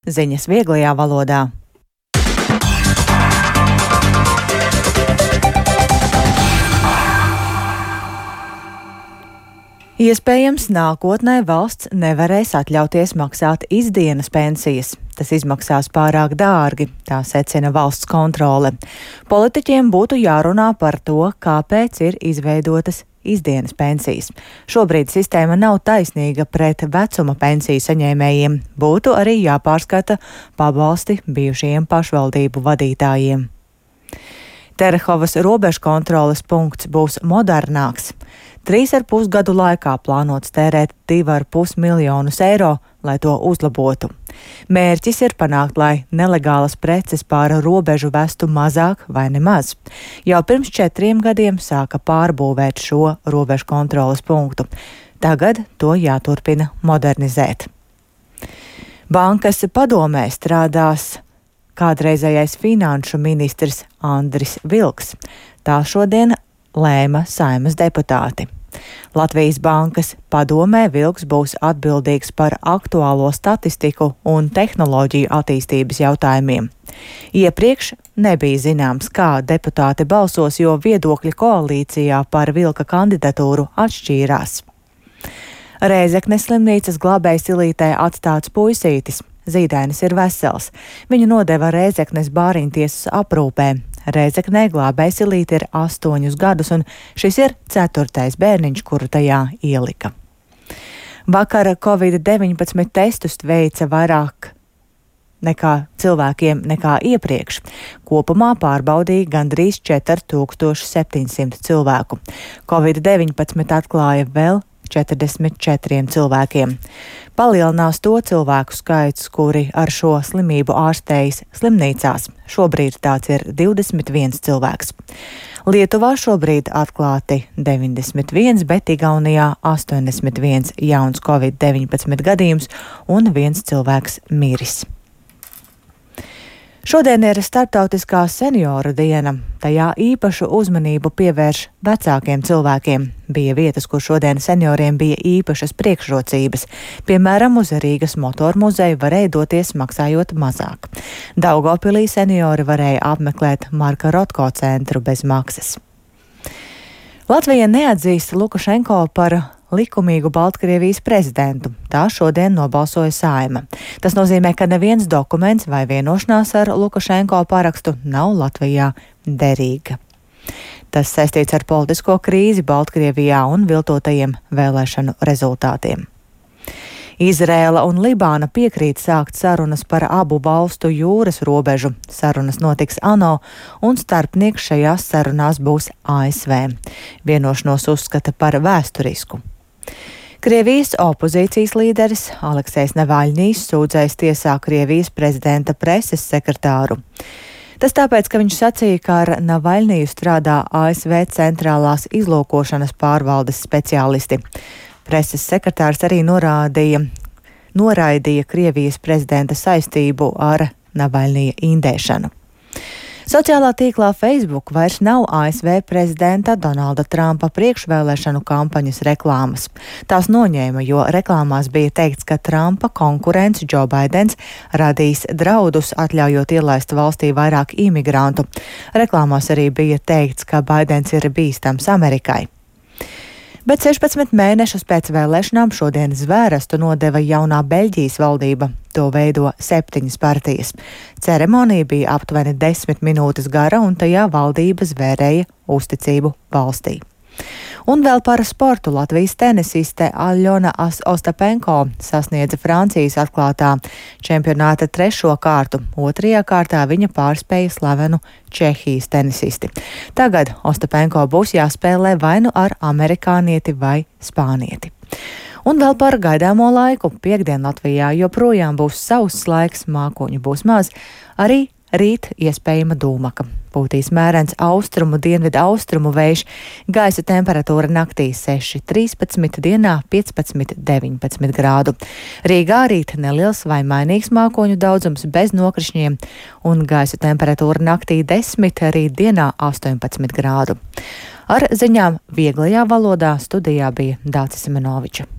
ziņas vieglajā valodā. Iespējams, nākotnē valsts nevarēs atļauties maksāt izdienas pensijas. Tas izmaksās pārāk dārgi, tā secina valsts kontrole. Politiķiem būtu jārunā par to, kāpēc ir izveidotas izdienas pensijas. Šobrīd sistēma nav taisnīga pret vecuma pensiju saņēmējiem. Būtu arī jāpārskata pabalsti bijušajiem pašvaldību vadītājiem. Terehovas robežu kontroles punkts būs modernāks. 3,5 gadu laikā plānots tērēt 2,5 miljonus eiro, lai to uzlabotu. Mērķis ir panākt, lai nelegālas preces pāri robežu vestu mazāk vai nemaz. Jau pirms 4 gadiem sāka pārbūvēt šo robežu kontroles punktu. Tagad to jāturpina modernizēt. Bankas padomē strādās kādreizējais finanšu ministrs Andris Vilks. Tā šodien lēma Saeimas deputāti. Latvijas Bankas padomē Vilks būs atbildīgs par aktuālo statistiku un tehnoloģiju attīstības jautājumiem. Iepriekš nebija zināms, kā deputāti balsos, jo viedokļi koalīcijā par Vilka kandidatūru atšķīrās. Rēzeknes slimnīcas glābējas Ilītē atstāts puisītis. Zīdainis ir vesels. Viņu nodeva Rēzeknes bāriņtiesas aprūpē. Rēzeknē glābējs Ilīte ir 8 gadus, un šis ir 4. bērniņš, kuru tajā ielika. Vakar Covid-19 testus veica vairāk cilvēkiem nekā iepriekš. Kopumā pārbaudīja gandrīz 4700 cilvēku. Covid-19 atklāja vēl 44 cilvēkiem. Palielinās to cilvēku skaits, kuri ar šo slimību ārstējas slimnīcās. Šobrīd tāds ir 21 cilvēks. Lietuvā šobrīd atklāti 91, bet Igaunijā 81 jauns Covid-19 gadījums un 1 cilvēks miris. Šodien ir Starptautiskā senioru diena. Tajā īpašu uzmanību pievērš vecākiem cilvēkiem. Bija vietas, kur šodien senioriem bija īpašas priekšrocības. Piemēram, uz Rīgas motoru muzeju varēja doties maksājot mazāk. Daugavpilī seniori varēja apmeklēt Marka Rotko centru bez maksas. Latvija neatzīst Lukašenko par likumīgu Baltkrievijas prezidentu. Tā šodien nobalsoja Saeima. Tas nozīmē, ka neviens dokuments vai vienošanās ar Lukašenko parakstu nav Latvijā derīga. Tas saistīts ar politisko krīzi Baltkrievijā un viltotajiem vēlēšanu rezultātiem. Izrēla un Libāna piekrīt sākt sarunas par abu valstu jūras robežu. Sarunas notiks ANO, un starpnieks šajās sarunās būs ASV. Vienošanos uzskata par vēsturisku. Krievijas opozīcijas līderis Aleksejs Navaļņijs sūdzējis tiesā Krievijas prezidenta preses sekretāru. Tas tāpēc, ka viņš sacīja, ka ar Navaļņiju strādā ASV centrālās izlūkošanas pārvaldes speciālisti. Preses sekretārs arī noraidīja Krievijas prezidenta saistību ar Navaļņija indēšanu. Sociālā tīklā Facebook vairs nav ASV prezidenta Donalda Trumpa priekšvēlēšanu kampaņas reklāmas. Tās noņēma, jo reklāmās bija teikts, ka Trumpa konkurents Joe Baidens radīs draudus, atļaujot ielaist valstī vairāk imigrantu. Reklāmās arī bija teikts, ka Baidens ir bīstams Amerikai. Bet 16 mēnešus pēc vēlēšanām šodien zvērestu nodeva jaunā Beļģijas valdība. To veido 7 partijas. Ceremonija bija aptuveni 10 minūtes gara, un tajā valdība zvērēja uzticību valstī. Un vēl par sportu. Latvijas tenisiste Aļona Ostapenko sasniedza Francijas atklātā čempionāta 3. kārtu. 2. kārtā viņa pārspēja slavenu Čehijas tenisisti. Tagad Ostapenko būs jāspēlē vai nu ar amerikānieti vai spānieti. Un vēl par gaidāmo laiku. Piektdien Latvijā joprojām būs sauss laiks, mākoņu būs maz, arī rīt iespējama dūmaka. Pūtīs mērens austrumu, dienvidu austrumu vējš, gaisa temperatūra naktī 6,13, dienā 15,19 grādu. Rīgā rīt neliels vai mainīgs mākoņu daudzums bez nokrišņiem, un gaisa temperatūra naktī 10, rīt dienā 18 grādu. Ar ziņām vieglajā valodā studijā bija Dācis Semenoviča.